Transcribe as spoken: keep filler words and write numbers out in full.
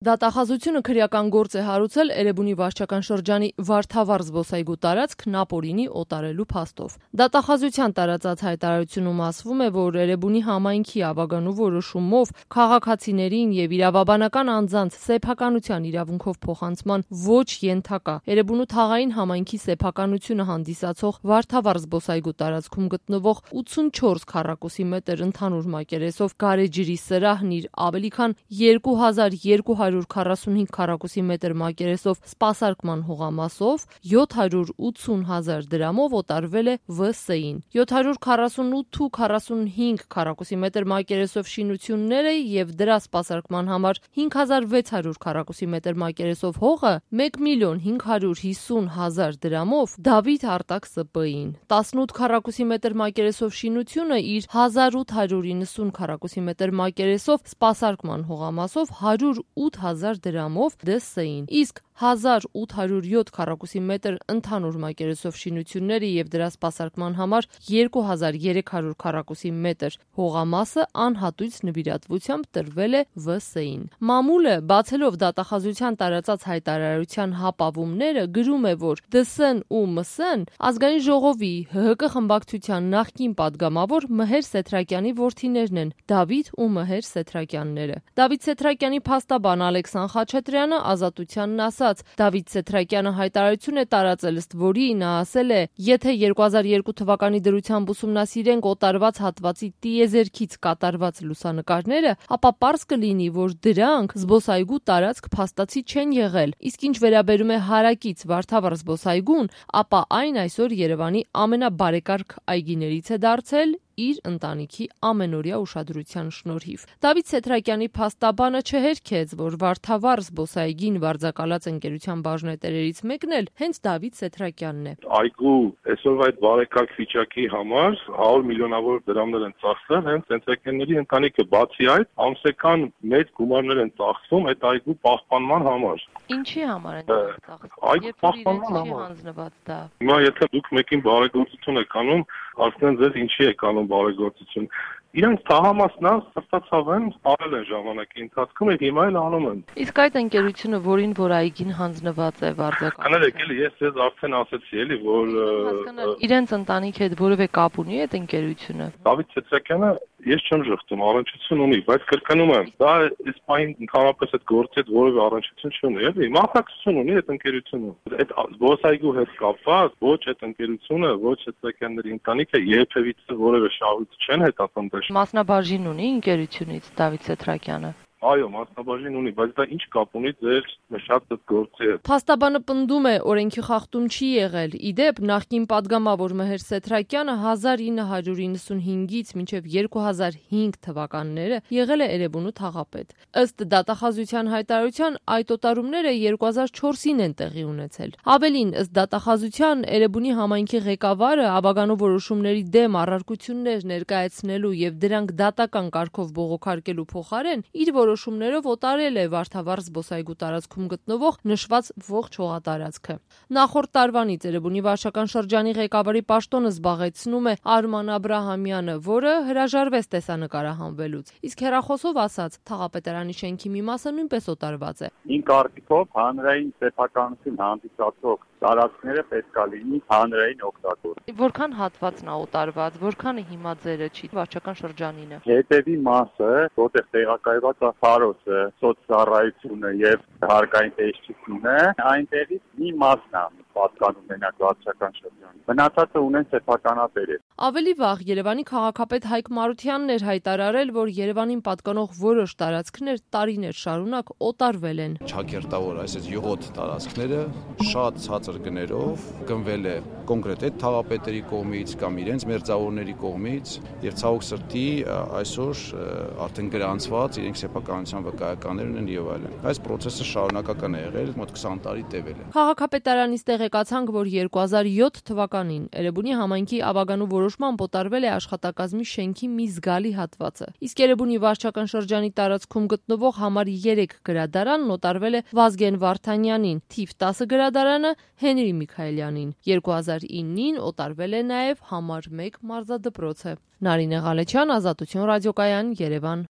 Դատախազությունը քրեական գործ է հարուցել Էրեբունի վարչական շրջանի Վարդավառ զբոսայգու տարածք նապորինի օտարելու փաստով։ Դատախազության տարածած հայտարարությունում ասվում է, որ Էրեբունի համայնքի ավագանու որոշումով քաղաքացիներին եւ իրավաբանական անձանց սեփականության իրավունքով փոխանցման ոչ ենթակա Էրեբունու թաղային համայնքի սեփականությունը հանդիսացող Վարդավառ զբոսայգու տարածքում գտնվող ութսունչորս քառակուսի մետր ընդհանուր մակերեսով գարեջրի սրահն իր ավելի քան երկու հազար երկու հարյուր քառասունհինգ քառակուսի մետր մակերեսով սպասարկման հողամասով յոթ հարյուր ութսուն հազար դրամով օտարվել է V S-ին։ յոթ հարյուր քառասունութ ու քառասունհինգ քառակուսի մետր մակերեսով շինությունները եւ դրա սպասարկման համար հինգ հազար վեց հարյուր քառակուսի մետր մակերեսով հողը մեկ միլիոն հինգ հարյուր հիսուն հազար դրամով Դավիթ Արտակ S P-ին։ տասնութ քառակուսի մետր մակերեսով շինությունը իր հազար ութ հարյուր իննսուն քառակուսի մետր մակերեսով սպասարկման հողամասով հարյուր ութ հազար դրամով D S-ին, իսկ հազար ութ հարյուր յոթ քառակուսի մետր ընդհանուր մակերեսով շինությունները եւ դրա սպասարկման համար երկու հազար երեք հարյուր քառակուսի մետր հողամասը անհատույց նվիրատվությամբ տրվել է V S-ին։ Մամուլը, բացելով դատախազության տարածած հայտարարության հապավումները, գրում է, որ D S-ն ու M S-ն ազգային ժողովի H H K խմբակցության նախկին падգամավոր Մհեր Սեթրակյանի որդիներն են՝ Դավիթ ու Մհեր Սեթրակյանները։ Դավիթ Սեթրակյանի փաստաբան Ալեքսան Խաչատրյանը Ազատությանն ասաց. Դավիթ Սեթրակյանը հայտարարություն է տարածել, ըստ որի նա ասել է. եթե երկու հազար երկու թվականի դրությամբ ուսումնասիրենք օտարված հատվածի տիեզերքից կատարված լուսանկարները, ապա պարզ կլինի, որ դրանք զբոսայգու տարածք փաստացի չեն եղել, իսկ ինչ վերաբերում է հարակից Վարդավառ զբոսայգուն, ապա այն այսօր Երևանի ամենաբարեկարգ այգիներից է դարձել իր ընտանիքի ամենօրյա ուշադրության շնորհիվ։ Դավիթ Սեթրակյանի փաստաբանը չհերքեց, որ Վարդավառ զբոսայգին վարձակալած ընկերության բաժնետերերից մեկն էլ հենց Դավիթ Սեթրակյանն է։ Այգու այսօր այդ բարեկարգ վիճակի համար հարյուր միլիոնավոր դրամներ են ծախսել հենց Սեթրակյանների ընտանիքը, բացի այդ ամսական մեծ գումարներ են ծախսվում այդ այգու պահպանման համար։ Ինչի համար են ծախսում։ Այգու պահպանման համար հանձնված դա։ Հիմա եթե դուք մեկին բարեգործություն եք անում, ասեն ձեզ ինչի եք անում բարեգործություն։ Իրանք թաղամասն է, սրտացավ են, արել են ժամանակի ընթացքում եւ հիմա էլ անում են։ Իսկ այդ ընկերությունը, որին որ այգին հանձնված է վարձակալել։ Կներեք, էլի ես ձեզ արդեն ասեցի, էլի, որ իրենց ընտանիքի հետ որևէ կապ ունի այդ ընկերությունը։ Դավիթ Սեթրակյանը ես չեմ ժխտում, առնչություն ունի, բայց կրկնում եմ, դա իսպայն ընդհանրապես այդ գործի հետ որևէ առնչություն չունի, էլի, մասնակցություն ունի այդ ընկերությունը։ Այդ զբոսայգու հետ կապված ոչ այդ ընկերությունը, ոչ Սեթրակյանների ընտանիքը երբևիցե որևէ շահույթ չեն հետապնդել։ Մասնաբաժին ունի ընկերությունից Դավիթ Սեթրակյանը։ Այո, մասնաբաժին ունի, բայց դա ինչ կապ ունի ձեր նշած այդ գործի հետ։ Փաստաբանը պնդում է, օրենքի խախտում չի եղել։ Իդեպ, նախկին падգամավոր Մհեր Սեթրակյանը հազար ինը հարյուր իննսունհինգից մինչև երկու հազար հինգ թվականները եղել է Էրեբունու թաղապետ։ Ըստ դատախազության հայտարարության, այդ օտարումները երկու հազար չորսին են տեղի ունեցել։ Ավելին, ըստ դատախազության, Էրեբունի համայնքի ղեկավարը ավագանու որոշումների դեմ առարկություններ ներկայացնելու եւ դրանք դատական կարգով բողոքարկելու փոխարեն իր որոշումներով օտարել է Վարդավառ զբոսայգու տարածքում գտնվող նշված ողջ հողատարածքը։ Նախորդ տարվանից Էրեբունի վարչական շրջանի ղեկավարի պաշտոնը զբաղեցնում է Արման Աբրահամյանը, որը հրաժարվեց տեսանկարահանվելուց։ Իսկ հեռախոսով ասած, թաղապետարանի շենքի մի մասը նույնպես օտարված է։ Իմ կարծիքով հանրային սեփականություն հանդիսացող տարածքները պետք է լինի հանրային օգտագործում։ Որքան հատվածն է օտարված, որքանը հիմա ձերը չի վարչական շրջանինը։ Հետևի մասը, որտեղ տեղակայված է Փարոսը, սոցցառայությունը եւ հարկային տեսչությունը, այնտեղից մի մասն է պատկանում մենակ վարչական շրջանին։ Մնացածը ունեն սեփականատերեր։ Ավելի վաղ Երևանի քաղաքապետ Հայկ Մարությանն էր հայտարարել, որ Երևանին պատկանող որոշ տարածքներ տարիներ շարունակ օտարվել են։ Չակերտավոր, այսպես յուղոտ տարածքները շատ ցածր գներով գնվել է կոնկրետ այդ թաղապետերի կողմից կամ իրենց մերձավորների կողմից եւ ցավոք սրտի այսօր արդեն գրանցված իրենք սեփականության վկայականներ ունեն եւ այլն։ Այս process-ը շարունակական է եղել, մոտ քսան տարի տևել է։ Քաղաքապետարանից տեղեկացանք, որ երկու հազար յոթ թվականին Էրեբունի համայնքի ավագանու որոշմամբ օտարվել է աշխատակազմի շենքի մի զգալի հատվածը։ Իսկ Էրեբունի վարչական շրջանի տարածքում գտնվող համար երեք գրադարանն օտարվել է Վազգեն Վարդանյանին, թիվ տասը գրադարանը Հենրի Միքայելյանին։ երկու հազար իննին օտարվել է նաև համար մեկ մարզադպրոցը։ Նարինե Ղալեչյան, Ազատություն ռադիոկայան, Երևան։